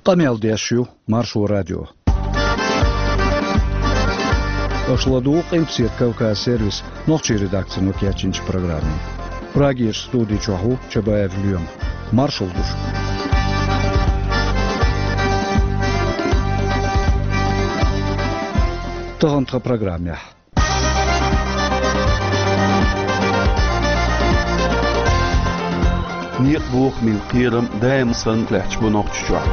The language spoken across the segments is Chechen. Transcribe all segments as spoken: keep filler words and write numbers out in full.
Къамел деш ю Маршо радио. Аша ладугӀу Къилбаседа Кавказ сервисан нохчийн редакцино кечйинчу программе. Прагерчу студи чохь ву Чабаев Лоьма. Маршалла ду шуьга. Тахана тхан программехь. Некъан бохамийн кхерам даим санна лаьтташ бу Нохчийчохь.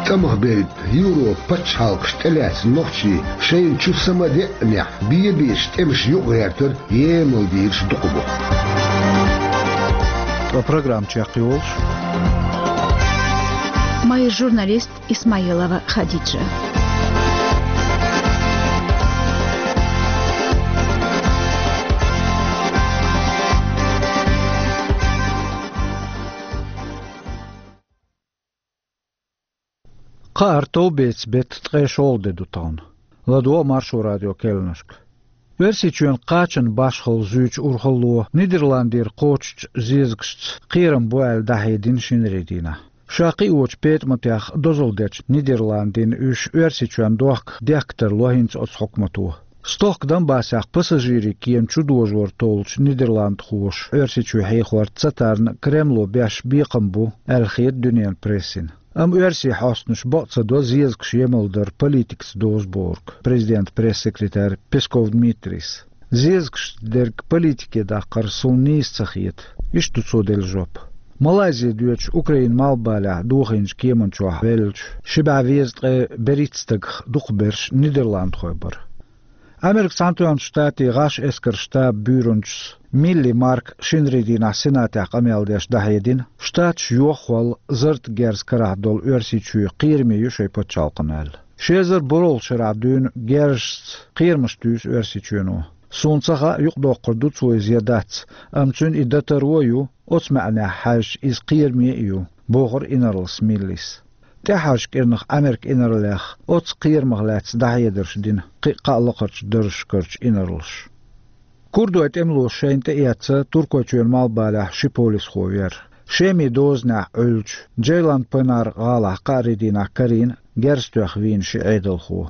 ТӀамах берг Европан пачхьалкхаш тӀелаьцна нохчий шайна чу са ма деънехь, бен-бечу тӀемаша юкъагӀертар емал дийраш дукха бу. Ткъа программа чекхйолуш, майра журналист Исмаилова Хадиджа. Кхааран товбеца беттан ткъе шолгӀа де ду тахана. ЛадогӀа Маршо радион кхаьънашка. Оьрсийчоьнан кхачанан башхалла зуьйчу урхалло Нидерландера кхочучу зезагашца кхерам бу аьлла дӀахьедина шинарин дийнахь. Ша кхиочу петӀаматех дозалла дечу Нидерландийн уьш Оьрсийчоьнна дохка дехка тарло хӀинца оцу хьукмато. Стохка Донбассехь пассажирийн кема чудожор толлучу нидерландхоша Оьрсийчоь хьехор ца тарна Кремло беш бекхам бу аьлла хета дуьненан прессина. Амма оьрсийн хьостанаша бакъ ца до зезагаш емал дар политикаца дозу бохург президентан пресс-секретарь Песков Дмитрийс. Зезагашца дерг политике даккхар суна нийса ца хета. Иштта ду цо делла жоп. Малайзе доьдучу Украинан малхбалехь дохийначу кеман чохь веллачу ши бӀе везткъе берхӀитта стагах дукхахберш нидерландхой бара. Американ Цхьаьнатоьхначу Штатийн гӀаш эскаран штабан буьйранчас Милли Марка шинарин дийнахь Сенатехь къамел деш дӀахьедина, Штаташ йоххол зарратан герз карахь долу Оьрсийчоь кхераме ю шайн пачхьалкхана аьлла. Ши эзар борхӀалгӀачу шарахь дуьйна герзашца кхерамаш туьйсу Оьрсийчоьно. Суна ца хаьа, юкъадоккхур ду цо иза я дац, амма цуьнан и дан таро а ю, оцу маьӀнехь хьаьжча, иза кхераме а ю, бохура инарлас Миллис. ТӀаьххьарчу кӀирнах Американ инарлех оцу кхерамах лаьцна дӀахьедарш дина кхин а кхаа лакхарчу даржашкарчу инарлаша. Курдойн тӀемалоша шайна тӀеэцна Туркойчоьнан малхбалехь ши полисхо вер. Шемин дозанехь Ӏуьллучу Джейлан-Пенар гӀалахь кхаарин дийнахь карийна герз тоьхна вийна ши Ӏедалхо.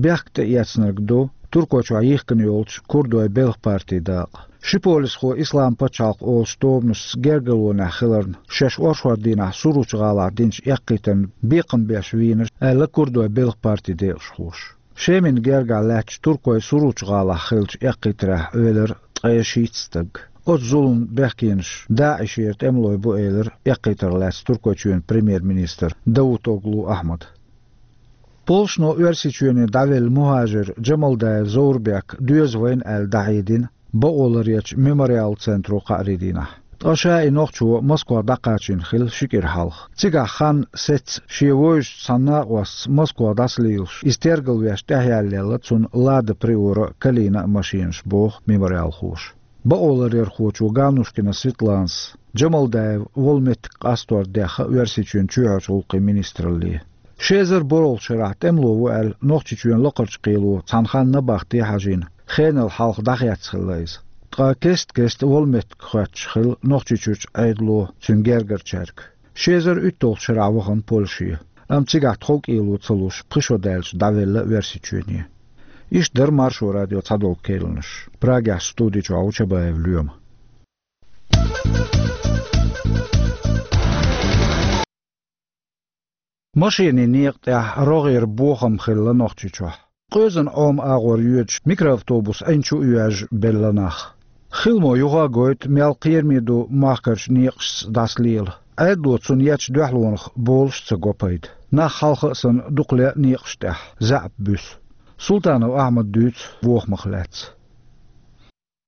Бехк тӀеэцнарг ду Туркойчохь йихкина йолчу курдойн Белхан партин дакъа. Ши полисхо Исламан пачхьалкх олучу тобанашца гергарлонехь хиларна, шаьш оршот дийнахь Суручу гӀалахь динчу эккхийтарна бекхам беш вийна, аьлла курдойн Белхан партин декъашхоша. Шемина гергахь лаьттачу туркойн Суручу гӀалахь хиллачу эккхийтарехь Ӏелира ткъе шийтта стаг. Оцу зуламна бехкенаш ДАИШера тӀемалой бу, элира эккхийтарх лаьцна Туркойчоьнан премьер-министра Давутоглу Ахьмада. Полшано Оьрсийчоьне дӀавелла мухӀажир Джамалдаев Зоврбек доьза вайна аьлла дӀахьедина бакъоларъярчу Мемориал центро кхаарин дийнахь. Ткъа ша и нохчо Москвах дӀакхачийна хилла ши кӀира хьалха. Цигахь хан сецна шен вовшашца цхьана накъостаца Москвах дӀасалелаш, иза тергалвеш тӀехъяллаелла цунна Лада Приора а, Калина а машенаш, боху мемориалхоша. Бакъоларъярхочо Ганушкина Светланас Джамалдаев волу меттиг къастор дехна Оьрсийчоьнан чоьхьарчу гӀуллакхийн министралле. Ши эзар борхӀалгӀачу шарахь тӀемало ву аьлла, Нохчийчоьнан лакхарчу кхело цхьана ханна набахти хьажийна, хенал хьалха дӀахецна хилла иза. Ткъа кест-кеста волу меттиг хоьттуш хилла Нохчийчуьрчу Ӏедало, цуьнан гергарчаьрга. Ши эзар уьтталгӀачу шарахь вахана Польше, амма цигахь тхов кӀело ца луш, пхи шо даьлча дӀавелла Оьрсийчоьне. Иштта дара Маршо радион цхьадолу кхаьънаш. Прагехь студи чохь ву Чабаев Лоьма. Машенийн некъа тӀехь рогӀера бохам хилла Нохчийчохь. Къоьзан Ӏома агӀор йоьдуш микроавтобус Ӏин чу а йоьжна белла нах. Хиламо юха а гойту, мел кхераме ду махкарчу некъашца дӀасалела. Ӏедало цунна ечу дуьхьалонах болуш а ца го пайда. Нах хьалха а санна дукха ле некъаш тӀехь, заьӀап буьсу. Султанов Ахьмада дуьйцу бохамах лаьцна.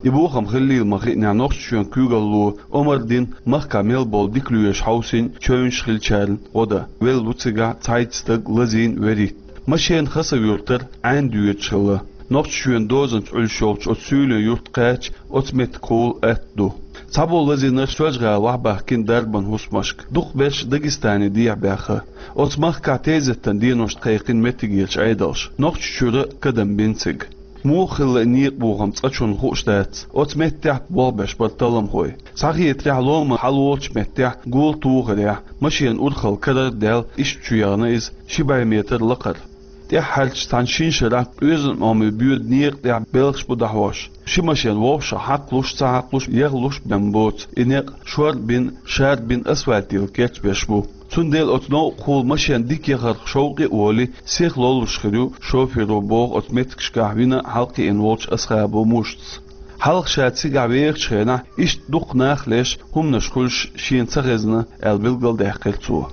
И бохам хиллийла ма-хиънехь, Нохчийчоьнан куьйгалло омра дина махкахь мел болу дика лоьраш хьовсийна чевнаш хиллачарна гӀо дан. Велла ву цигахь цхьайтта стаг, лазийна верхӀитта. Машена Хасав-Юртара Ӏаьнна доьдуш хилла. Нохчийчоьнан дозанца Ӏуьллуш йолчу оцу суьйлийн юрта кхаьчча, оцу меттигахула атта ду. Цхьаболу лазийнарш Соьлжа-ГӀала охьабаьхкина дарбан хӀусамашка. Дукхахберш Дагестане дехьабаьхна. Оцу махкахь тезеттан деношна кхайкхина меттигерчу Ӏедалша. Нохчийчуьра кадам бина цига. Муха хилла некъа бохам цкъачунна хууш дац, оцу меттехь болх беш бара талламхой. Схьахетарехь, ломан хьалаволчу меттехь гул тухарехь, машенан урхалла карара даьлла, иштта чу яхана иза, ши бӀе метр лакхара. ТӀаьххьарчу цхьана шина шарахь оьзан Ӏомийн боьда некъа тӀехь белхаш бу дӀахьош. Ши машен вовшах хьакхалуш, ца хьакхалуш, яхлуш бен боцу и некъ шор а бина, шар а бина асфальтал кечбеш бу. Цундела оцу новкъахула машен дика яхарх шовкъе а волий, сиха лоллуш хир ю шоферо, боху оцу меттигашкахь вина хьалакхиъна волчу Асхабов Мушас. Хьалха ша цигахь вехачу хенахь иштта дукха нах а леш, хӀуманаш хуьлуш шена ца хезна, аьлла билгалдаьккхира цо.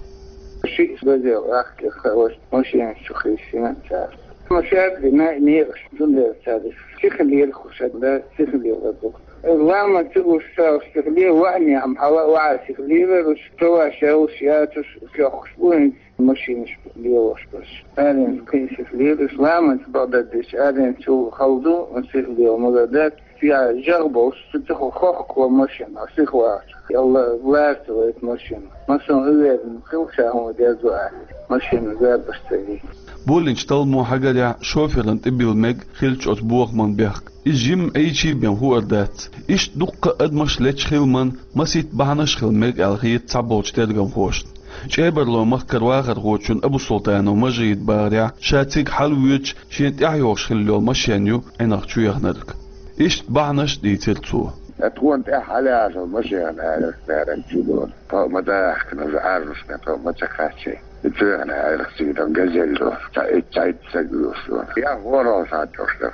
Шиъ базел ахкира хаош машенаш чу хиссина цара. Ма шаьрда дина некъаш, цундела цара сихалера хӀуша да, сихалера ду. Ламан чу уьш ца уьш сихале, ваьхьнехь хьала а ваьхьа сихалера, уьш ца ваьш, уьш яцуш, кхехкуш бу хӀинца машинаш лелош берш. Аренца кхин сихалера, уьш ламанца бакъдерг деш, аренца чул хала ду, сихалела мала дац. Цигахь жагӀа болуш, цу тӀехула хохкало машина, сиха вахча. Ялла, лаьрца вайта машина. Машина уверен хила ша хӀума деза аьлла. Машина зарбаш ца вийта. Боллинчу талламо хьагарехь, шоферан тӀе билла мега хиллачу оцу бохаман бехк. Иза жимма Ӏийчий бен хуур дац. Иштта дуккха а адамаш лечу хиламан масийтта бахьанаш а хила мега аьлла хета цхьаболчу тергамхошна. ЧӀебарлойн махкара вахархочун Абусултанов Мажидан бахарехь, ша цига хьалавоьдуш, шена тӀаьхьа йогӀуш хилла йолу машен ю Ӏинах чу яханарг. Иштта бахьанаш а дийцира цо. Ткъа тхуна тӀаьхьа хьалаяьлла машенан аьррах цара чу долу. Тхо ма дахкана, уже арзушна, тхо ма ца кхаччи. И цоьхна аьррах цига дан газель до. Цхьа итт, цхьа итт стаг вуьйш ду. Я гӀоро схьа чӀогӀа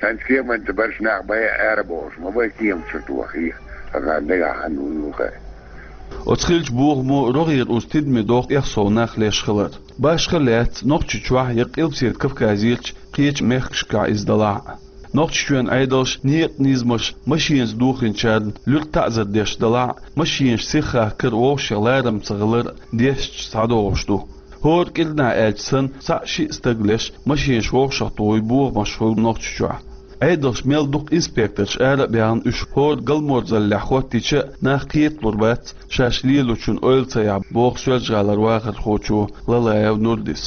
дара. Кеманца барш нах бай ара бохуш, ма бай кема чу тохий. Ткъа дегахь хьан ву юхай. Оцу хиллачу бохамо рогӀера уза тидаме доху тӀех сов нах леш хилар. Башха лаьцна Нохчийчохь я Къилбаседа Кавказерчу кхечу мехкашкахь иза далахь а. Нохчийчоьнан Ӏедалш некъан низамаш машенаш дохийначарна луьра таӀзар деш далахь а, машенаш сиха хахкар а, вовшех ларам ца хилар а дешча схьадогӀуш ду. ХӀора кӀирнахь аьлча санна, цхьаъ-шиъ стаг леш, машенаш вовшах тухий бохамаш хуьлу Нохчийчохь. Ӏедалш мел дукха инспекторш ара а баьхна, уьш хӀора галморзаллехь хӀоттийча а, нах кхеталур бац, шаьш лелочун ойла ца яхь, боху Соьлжа-ГӀалара вахархочо Лалаев Нурдис.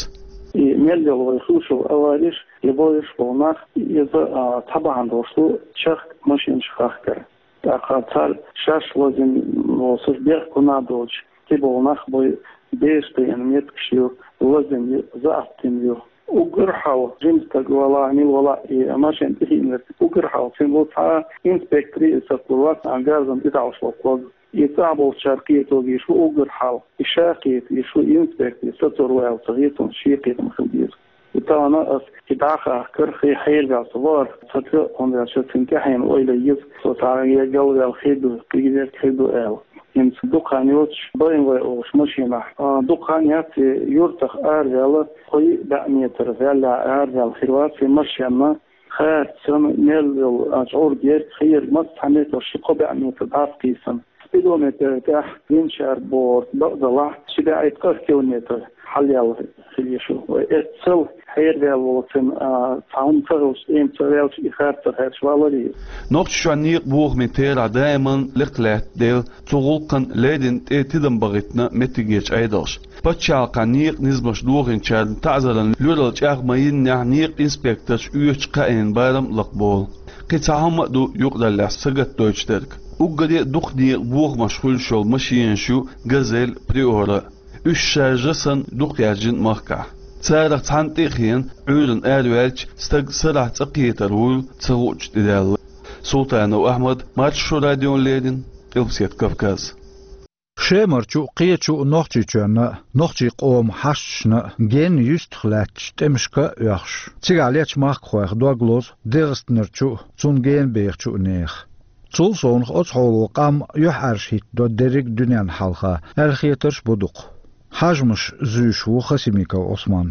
И мел йолу вай хӀусал авариш, и бойуш болу нах, иза, а, цхьа бахьана долуш ду, чехка машенаш хахкар. ТӀаккха цара шаьш лазийна волуш бехк хӀунда доцуш, тӀебогӀу нах бой, бераш тайна меттигаш ю, лазийна ю, заьӀаптина ю. Уггар хьалха жима стаг валахь, мила валахь, и машен тӀехиънарг, уггар хьалха цуьнан ву цхьа инспектор, и сацлур вац, а, гарзам тӀе таӀош воккхалг. И цӀахь болчара кхеталуш ву уггар хьалха. И ша кхета, и шу инспектор, сацор ваьлла ца хета, шен кхетам хила деза. И тахана ас и дӀахахкар, хи хьерваьлла ца вахар, ца ца, хӀунда аьлча цуьнан тӀаьхьенан ойла еза, со цхьа я галваьлла хир ду, кхидерг хир ду аьлла. ХӀинца дукха хан йоцуш, БМВ олуш машенахь, а, дукха хан яц и юьртах араваьлла, кхо-йиъ бӀе метр ваьлла араваьлла хир вац и машенна, харцан, мел йолу, а, чӀур герга, хер массо а метр, ши-кхо бӀе метр дӀасакхийса. Спидометр тӀехь винчар бохург бакъдалахь, ши бӀе ткъа километр хьалаяьлла хила йиш ю. Вай эццал хьерваьлла волу цуьнан, а, цхьа хӀума ца хилча, эм ца ваьлча, и харцар хьаьрча валаре. Нохчийчоьнан некъан бохамийн терахь даиман лекха лаьтта дела, цу гӀуллакхан леррина тӀе тидам бахийтина меттигерчу Ӏедалша. Пачхьалкхан некъан низамаш дохийначарна таӀзаран лоьрал чӀагӀ ма-йиннехь, некъан инспекторш оьцучу кхаъенан барам а лакхаболу. Кхин цхьа хӀума а ду юкъараллехь сагатдойтуш дерг. Уггаре а дукха некъан бохамаш хуьлуш йолу машенаш ю «Газель», «Приора». Уьш шаржа санна дукха яьржина махкахь. Царах цхьанна тӀе а хиъна, Ӏуьйранна араваьлча, стаг сарахь цӀа кхетар вуйла ца хуучу тӀедеана. Султанов Ахьмад, Маршо радиона леррина, Къилбаседа Кавказ. Шемара чу а, кхечу а Нохчийчоьнна а, нохчийн къоман хьашташна а генна юьстах лаьттачу тӀемашка а оьхуш, цигахь лечу махкахойх дог лозу ДегӀастанара чу а, цунна гена бехачу а нехан. Цул совнаха оцу хьоло къам юьхьӀаьржа хӀиттадо дерриг а дуьненна хьалха, аьлла хетарш а бу дукха. Хьежамаш зуьйш ву Хасимиков Ӏусман.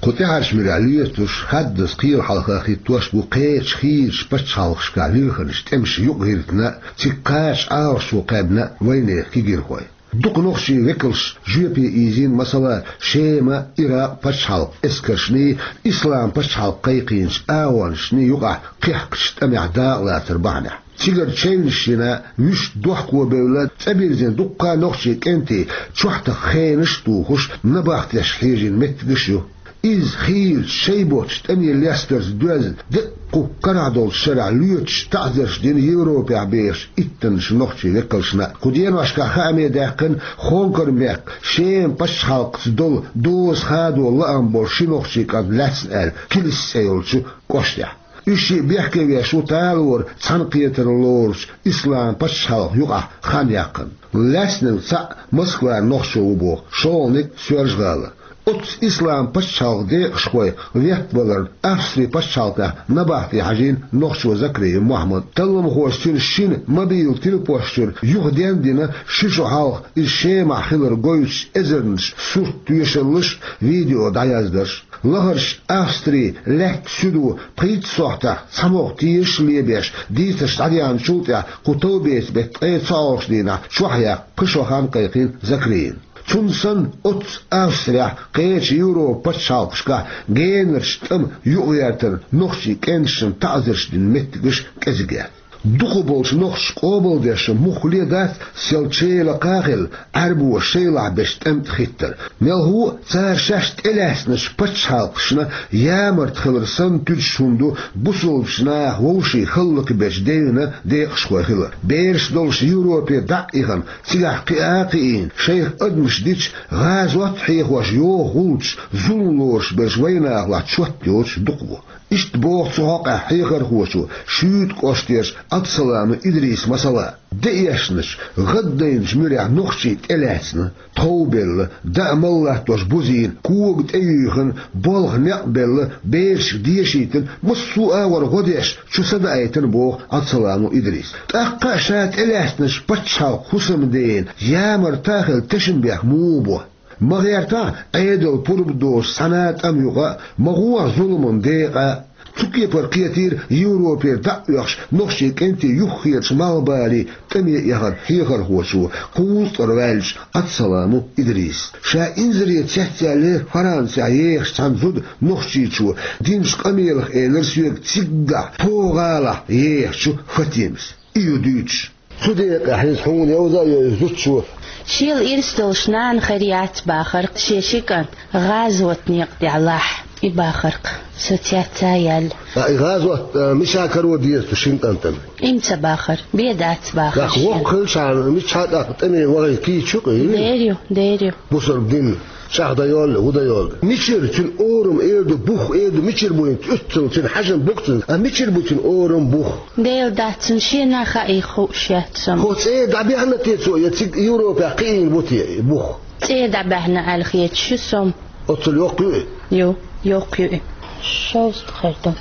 Кху тӀаьхьарчу муьрехь лоьцуш, хаддаза кхелан хьалха хӀиттош бу кхечу хийрачу пачхьалкхашкахь вирханаш тӀемаша юкъагӀиртина а, цига кхача Ӏалашо кхаьбна а вайнехан кегийрхой. Дукха нохчийн векалш жоьпе ийзийна, масала, Шема, Иракъ пачхьалкхан эскаршний, Ислам пачхьалкх кхайкхийначу агӀонашний юкъахь кхехкачу тӀамехь дакъалацар бахьанехь. Цигара чевнаш йина, вуьшта дохко бевлла, цӀа бирзина дуккха а нохчийн кӀентий чохь тахка хенаш а тухуш, набахтешка хьежийна меттигаш а ю. Иза хийлача шайн боцчу тӀаме лестарца доьзна, деккъа кху карахь долчу шарахь лоьцуш таӀзарш дина Европехь бехачу иттаннаш нохчийн векалшна. Кху деношкахь хааме даьккхина Хонкар-мехкан Шема пачхьалкхца долу доза хадо лаам болу ши нохчийн кӀант лаьцна аьлла, Килис цӀе йолчу кӀоштехь. Уьш шиъ бехкевеш ву талора цхьаьнакхетар лоручу Ислам пачхьалкхан юкъахь хан яьккхина. Лаьцнарг цхьаъ Москвара нохчо ву боху, шолгӀаниг Соьлжа-ГӀала. Оццу Ислам пачхьалкхан декъашхой веттаваларна Австрин пачхьалкхехь набахте хьажийна нохчо Закриев Мохьмад. Талламхоша цуьнан шина мобил тилпошчуьра юхаден а дина, ши шо хьалха иза Шемахь хилар гойтуш эзарнаш сурт тоьшаллаш, видео дӀаяздарш. Лахарчу Австрин лаьттан суьдо пхийтта сохьтехь цхьа могӀа тешаш лебеш, дийцарш дӀадеанчул тӀаьхьа кху товбеца беттан ткъе цхьалгӀачу дийнахь чохь яккха пхи шо хан кхайкхийна Закриевна. Цунна санна, оццу Австрехь, кхечу Европан пачхьалкхашкахь генарчу тӀаман юкъагӀертарна нохчийн кӀенташна таӀзарш дина меттигаш кӀезиг яц. Дукхахболчу нохчаша къобалдеш муххале а дац, сел чӀогӀа а хилла, Ӏаьрбоша шайлахь бечу тӀамна тӀе хӀиттар. Мелхо а цара шаьш тӀелаьцначу пачхьалкхашна ямарта хилар санна туьдуш хӀума ду бусалбачу наха вовшийн хӀаллакбечу девнан декъашхой хилар. Бераш долуш Европе дӀа а ихна, цигахь кхиа а кхиийна, шайх адамаш дича, гӀазот а хьехош йоху гӀулчаш, зулам лоруш берш вайнахалахь чот йоцуш дукха бу. Иштта боху цу хьокъехь хьехархочо, Шуьйта кӀоштарчу Ӏабдусаламов Идриса масала. Деэшначу, гӀаддайначу муьрехь нохчий тӀелаьцна, тхов белла, даа мала латтош бузийна, кога тӀеюьйхина, болх некъ белла, берашка дешийтина, массо а агӀор гӀо деш, чу са даийтина боху Ӏабдусаламов Идриса. ТӀаккха а ша тӀелаьцначу пачхьалкхан хӀусамдена ямарта а хилла тешнабехк муха бо? Ма гӀертахь, Ӏедалан пурба доцуш цхьана а тӀаман юкъа а, ма гӀохьа зуламан декъа а. Цу кепара кхетийра Европера дӀа а оьхуш нохчийн кӀентийн юххерчу малхбалин тӀаме эхаран хьехархочо, кхузткъара ваьллачу Ӏабдусаламов Идриса. Ша инзаре цецъяьллера Францехь ехаш цхьана зуда нохчичо, динчу къамелах элира соьга циггахь, тхо гӀалахь ехачу Фатимас. И ю дуьйцуш. Цу декъехь иза хьуна йовза а йойзу зудчо. Шел ирс долуш нана хир яц бахара, шен ши кӀант гӀазотан некъа тӀехь лахь. И бахара-кх, со цец а яьлла. А, и гӀазот, а, мича каро деза цу шина кӀантана? Имца бахара, бен дац бахара. Нах воккха хилчахьана, мичахьа тӀаккха тӀаме вахийта кийча ю-кх и? Дер ю, дер ю. Бусалба дин чӀагӀдан йолу, хӀун дан йолу? Мичара цуьнан орам эр ду, бух эр ду, мичара бу хӀинца уьццул цуьнан хьажам, бух цуьнан? А мичара бу цуьнан орам, бух? Дела дац, цунна шена а хаийта хууш яц со. Хьо цӀера дӀабаьхьна те цо, я цига Европехь кхиийна бу те и бух? ЦӀера дӀабаьхьна аьлла хеташ ю со. Оццул йоккха ю и? Ю, йоккха ю и. Шовзткъа хир ду.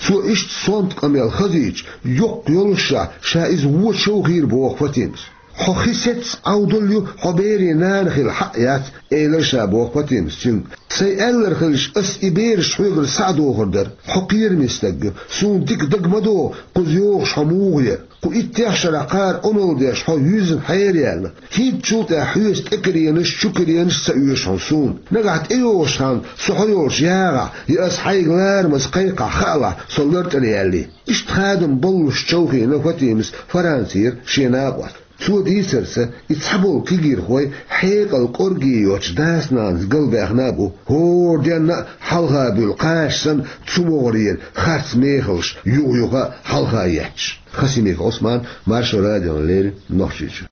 Цо иштта сонта къамел хазийча, йоккха йолушшехь, ша иза вон човхийра боху Фатимас. Хьо хи сецна Ӏовдал ю, хьо берийн нана хила хьаъ яц, элира ша боху Фатимас цуьнга. Сайн аьлларг хилча, ас и бераш хьоьгара схьа а дохур дара. Хьо кхераме стаг ю, суна дика дага ма догӀу кхуза йогӀуш хьо муха яра. Кху иттех шарахь кхара омал деш хьо юьзна хьераяьлла. ХӀинцачул тӀаьхьа хьоьца тӀекаренаш, чукаренаш ца оьшу хьуна суна. Нагахь тӀейогӀуш ханна со хьо йолчу ягӀахь, я ас хьайга ларамаза кхайкхахь хаалахь, со лартӀара яьллий. Иштта хадам боллуш човхийна Фатимас Францера шен накъост. Цо дийцарца, и цхьаболу кегийрхой хьекъал кӀорге йоцуш дас-нанас галбаьхна а бу, хӀора денна а хьалха буьллу кхача санна цу могӀарера харц мехаллаш юха-юха а хьалха етташ. Хасимиков Ӏусман, Маршо радиона леррина, Нохчийчуьра.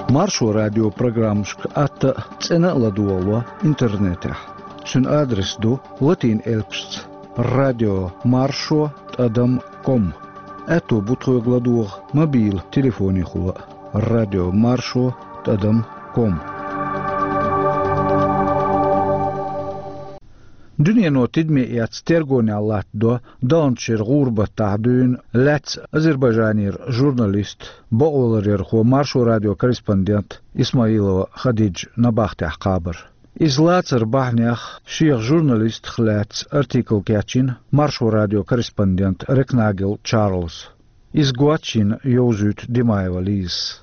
Маршо радион программашка атта а, цӀена а ладогӀало интернетехь. Цуьнан адрес ду латин элпашца: радио маршо тӀадам ком. Аьтто бу тхоьга ладогӀа мобил телефонехула а: радио маршо тӀадам ком. Дуьнено тидаме эцна тергонехь латтадо далначеран гӀуран баттахь дуьйна лаьцна Азербайджанера журналист, бакъваларъярхо, Маршо радион корреспондент Исмаилова Хадиджа набахтехь кхабар. Иза лацаран бахьанех шех журналистах лаьцна артикл кечйина Маршо радион корреспондент Рекнагел Чарльза. Иза гочйина йовзуьйту Димаева Лизас.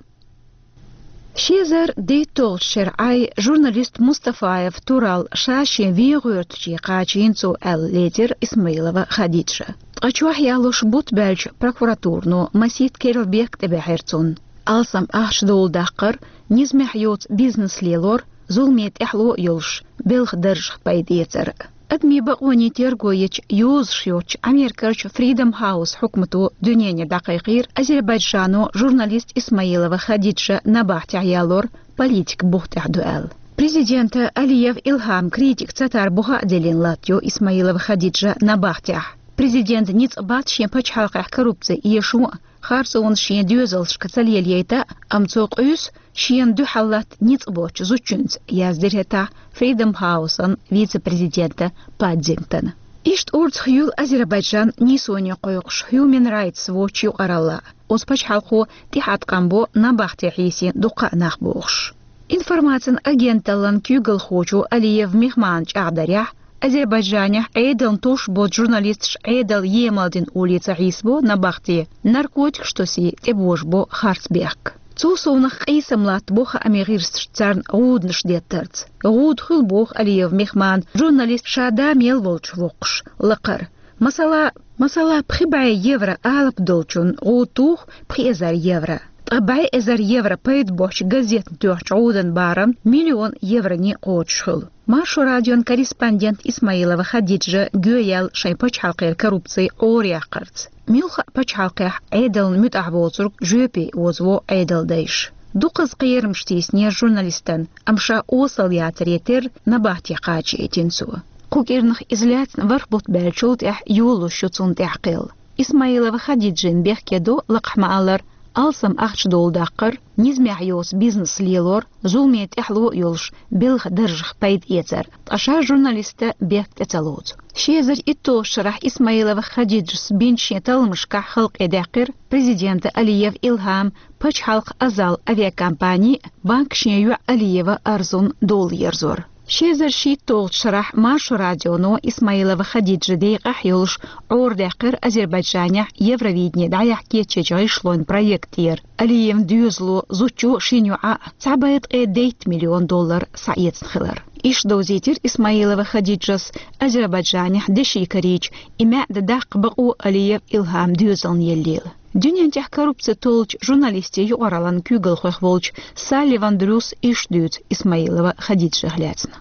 Ши эзар дейтталгӀачу шеран Ӏай журналист Мустафаев Турал ша шен вен гӀоьртиче кхачийна цо аьлла лецира Исмаилова Хадиджа. Ткъа чохь ялош бутт баьлча прокуратурано масийтта керла бехк тӀебаьхьира цунна. Алсам ахча доладаккхар, низамехь йоцу бизнес лелор, зуламе тӀаьхьало йолуш, белхан даржах пайда эцар. Адамийн бакъонийн терго ечу йозанаш йоцчу Америкерчу Freedom House хьукмато дуьненна дӀакхайкхийра Азербайджано журналист Исмаилова Хадиджа набахтехь ялор политик бух тӀехь ду аьлла. Президента Алиев Илхам критика ца тар буха а деллина латтайо Исмаилова Хадиджа набахтехь. Президент ницкъ бац шен пачхьалкхехь коррупци эшо а, харцонаш шен доьзалшка ца лелайта а, амма цо къуьйсу шена дуьхьал латта ницкъ боцчу зудчуьнца, яздира хӀетахь Freedom House-ан вице-президента Паддингтона. Иштта орцах юьллу Азербайджан нийсоне кхойкхуш Human Rights Watch юкъаралла. Оцу пачхьалкхо тӀехьа къам бо набахте хьийсина дуккха а нах бохуш. Информацин агенталлан куьйгалхочо Алиев Мехмана чӀагӀдарехь, Азербайджанехь Ӏедална тосуш боцу журналисташ Ӏедал емал дина олий ца хьийсабо набахте, наркотикаш тосий тӀебожабо харц бехк. Цул совнах къийсам латтабо хаамийн гӀирсаша царна гӀуданаш деттарца. ГӀуда хуьлу боху Алиев Мехмана журналист ша да мел волчу воккхуш лакхара. Масала, масала, пхи бӀе евро алапа долчунна гӀуда туху пхи эзар евро. Ткъа бӀе эзар евро пайда боцчу газетна тоьхчу гӀудан барам миллион евроне кхочуш хуьлу. Маршо радион корреспондент Исмаилова Хадиджа гоьяьлла шайн пачхьалкхера коррупци Ӏораяьккхарца. Муьлхха а пачхьалкхехь Ӏедална муьтӀахь воцург жоьпе озаво Ӏедалдайша. Дукхаза кхерамаш тийсинера журналистан, амма ша осал яцаре терра набахте кхачаийтина цо. Кху кӀирнах иза лаьцна ворхӀ бутт баьллачул тӀаьхьа йолалуш ю цунна тӀехь кхел. Исмаилова Хадиджин бехке до, лакхахь ма-аллара, алсам ахча доладаккхар, низамехь йоцу бизнес лелор, зуламе тӀаьхьало йолуш, белхан даржах пайда эцар, ткъа ша журналиста бехк тӀе ца лоцу. Ши эзар итталгӀачу шарахь Исмаилова Хадиджас бинчу шен талламашкахь халкъе даьккхира президента Алиев Илхам, пачхьалкхан Азал авиакомпани, банка шен йоӀ Алиева Арзун дола ерзор. Ши эзар шийтталгӀачу шарахь Маршо радионо Исмаилова Хадиджа декъахь йолуш Ӏорадаьккхира Азербайджанехь Евровидение дӀаяхьа кечъечу гӀишлойн проектера. Алиевн доьзало, зудчо шина йоӀа цхьа бӀе ткъе дейтта миллион доллар схьаэцна хилар. Иштта довзийтира Исмаилова Хадиджас Азербайджанехь деши карийча, и маьӀда даккха бакъо Алиев Илхам доьзална еллийла. Дуьнен тӀехь коррупци толлучу журналистийн юкъараллан куьйгалхойх волчу Салливан Дрюс иштта дуьйцу Исмаилова Хадиджех лаьцна.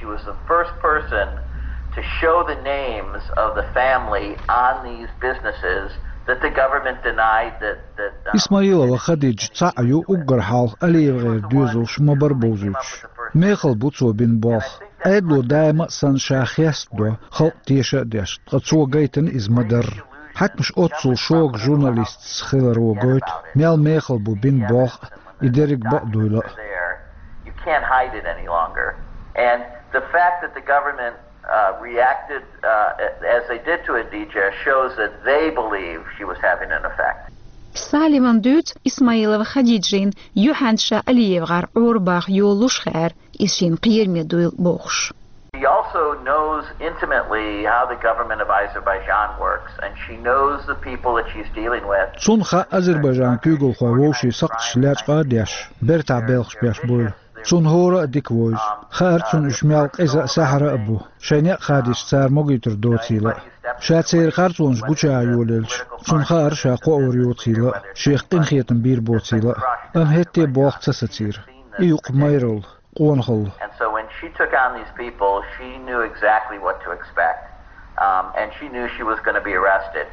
She was the first person to show the names of the family on these businesses that the government denied that, that, uh, Исмаилова Хадиджа цхьаъ ю уггар хьалха АлиевгӀеран доьзалш ма-барра бовзуьйтуш. Мехала бу цо бина болх. Ӏедало даима а санна ша хестадо, халкъ теша а деш, ткъа цо гайтина иза ма-дарра. Хьаькамаш оццул шога журналистца хиларо гойту, мел мехала бу бина болх а, и дерриг бакъ дуйла а. You can't hide it any longer. And the fact that the government, uh, reacted, uh, as they did to Adija shows that they believe she was having an effect. Салливан дуьйцу Исмаилова Хадиджин юьхьанца ша АлиевгӀар Ӏорабаха йолалуш хаьара, иза шена кхераме дуйла бохуш. She also knows intimately how the government of Azerbaijan works, and she knows the people that she's dealing with. Цунна хаьа Азербайджан куьйгалхой вовшийн сакхташ лечкъа а деш, бертахь белхаш беш буйла. Цунна хӀора а дика вовза. Хаьара цунна уьш мел къиза а, саьхьара а бу. Шайн некъ хадийча цара могуьйтур доцийла а. Ша церан харцонаш гуча а йолаелча, цунна хаьара ша кхоавар йоцийла а, шех къинхетам бийр боцийла а. Амма хӀетте болх ца сацийра. И юкъ майралла, къонахалла. And so when she took on these people, she knew exactly what to expect. Um, and she knew she was gonna be arrested.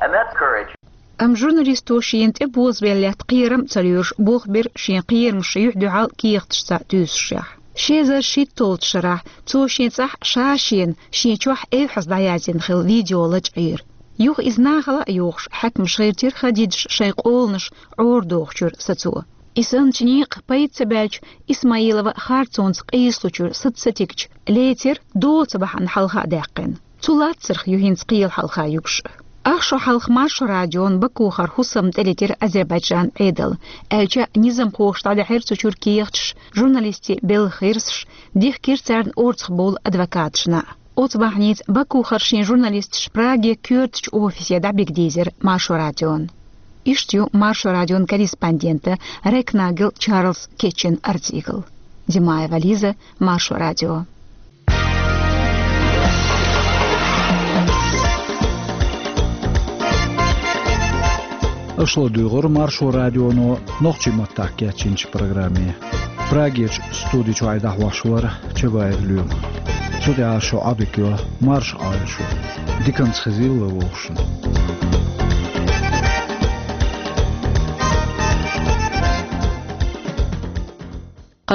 And that's courage. Амма журналисто шена тӀе бозабелла лаьтта кхерам а ца лоьруш, болх бира шен кхерамаш юьхь-дуьхьал кехаташца туьйсушехь. Ши эзар шийтталгӀачу шарахь цо шен цӀахь ша-шена, шен чохь эвхьаза дӀаязйина хилла видео лачкъийра. Юха иза нахала а йохуш, хьаькамаш гӀиртира Хадиджас шайн къоланаш Ӏорадохучуьра сацо. И санначу некъах пайда ца баьлча, Исмаилова харцонца къийсалучуьра саца ца тигча, лецира доцу бахьана хьалха а даьккхина. Цу лаццарх ю хӀинца кхелан хьалха юкъаш. Ах шо хьалха Маршо радион Бакухара хӀусамна тӀелетира Азербайджан Ӏедал, аьлча а низамхоша дӀадаьхьира цу чуьра кехаташ, журналистийн белхан гӀирсаш, дихкира царна орцахбовла адвокаташна. Оцу бахьаница Бакухара шен журналисташ Праге коьртачу офисе дӀабигадийзира Маршо радион. Иштта ю Маршо радион корреспондента Рекнагел Чарльз кечйина артикл. Димаева Лиза, Маршо радио. Аша ладуьйгӀура Маршо радионо нохчийн маттахь кечйинчу программе. Прагерчу студи чуьра дӀахьош вара Чабаев Лоьма. Цу тӀехь шун Ӏадика йо, марша Ӏойла шу. Диканца хезийла вовшашна.